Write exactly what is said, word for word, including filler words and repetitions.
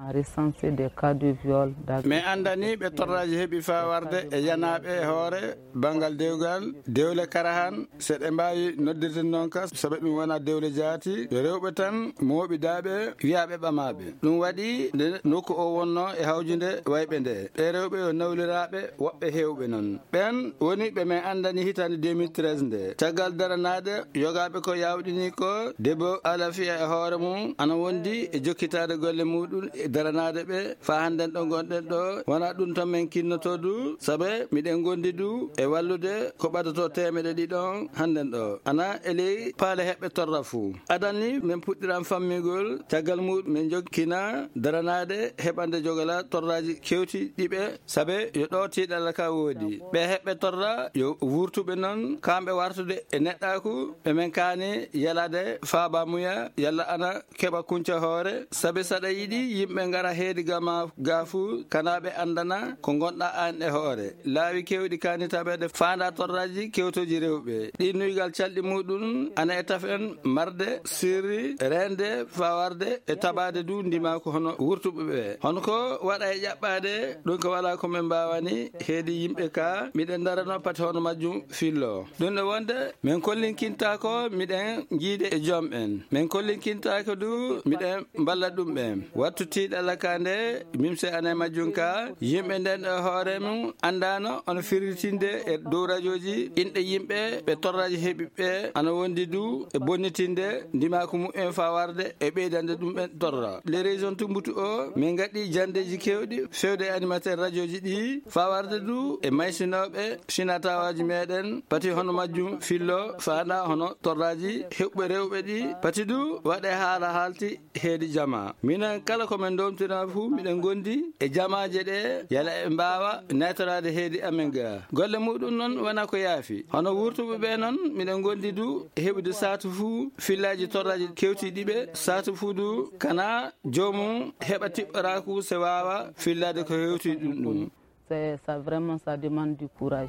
On a recensé des cas de viol, d'agression. Mais anndani ɓe torraaji heɓi faa warde e yanaaɓe e hoore banngal dewgal, dewle Karahan, so ɗe mbaawi noddirde noon ka, sabe ɗum wona dewle jaati, yo rewɓe tan mooɓidaaɓe, wiyaaɓe ɓamaaɓe. Ɗum waɗi nde nokku o wonno e hawjude wayɓe nde. Ɓe rewɓe yo nawliraaɓe, woɓɓe heewɓe noon. Ɓeen woni ɓe men anndani hitaande deux mille treize nde. Caggal daranaade, yogaaɓe ko yaawɗini ko debbo Alafiya e hoore mum ana wondi e jokkitaade golle muɗum e daranaade ɓe faa hannden ɗo ngonɗen ɗo. Wona ɗum tan men kinnotoo du, sabe miɗen ngondi du e wallude ko ɓadato teemedde ɗiɗi on hannden ɗo. Ana e ley paale heɓɓe torra fuu. Adan ni men puɗɗiran fammigol caggal muɗum men jokkina daranaade heɓande jogala torraaji kewti ɗiɓe, sabe yo ɗo tiiɗalla ka woodi. Ɓe heɓɓe torra yo wurtuɓe noon, kamɓe wartude e neɗɗaaku, ɓe men kaani yalade faabamuya, yalla ana keɓa kunca hoore, sabe saɗa yiɗi yimɓe ngara heedi gama gaafu, kana ɓe anndana ko ngonɗa aan e hoore. Laawi kewɗi kaani taɓeede faanda torraaji kewtooji rewɓe. Ɗi nuygal calɗi muɗum ana e tafen marde, sirri, reende, fawarde e tabaade du ndimaaku hono wurtuɓe ɓe. Hono ko waɗa e ƴaɓɓaade, ɗum ko wala ko men mbaawani heedi yimɓe ka, miɗen darano pati hono majjum fillo. Ɗum ɗo wonde, men kollinkintaako miɗen jiide e joom en. Men kollinkintaako du miɗen mballa ɗum ɓen. Wattu tiiɗalla ka nde, mimse ana e majjum ka, yimɓe nden e hoore mum anndano ono firritinde e dow rajooji inɗe yimɓe ɓe torraaji heɓi ɓe ana wondi du e bonnitinde ndimaaku mumen faa warde e ɓeydande ɗum ɓen torra. Les régions Tumbutu o, min ngaɗi janndeeji kewɗi fewde e animateur rajooji ɗi faa warde du e maysinooɓe sinatawaaji meɗen, pati hono majjum fillo faanda hono torraaji heɓɓe rewɓe ɗi, pati du waɗe haala haalti heedi jama. Minen kala ko men ndomtina fuu, miɗen ngondi e jamaaje ɗe, yala e mbaawa naytoraade heedi amen ga. Golle muɗum noon wona ko yaafi. Hono wurtuɓe ɓe noon, miɗen ngondi du e heɓude saatu fuu fillaaji torraaji kewtiiɗi ɓe, saatu fuu du kana joomum heɓa tiɓɓoraaku se waawa fillaade ko hewti ɗum ɗum. C'est ça, vraiment, ça demande du courage.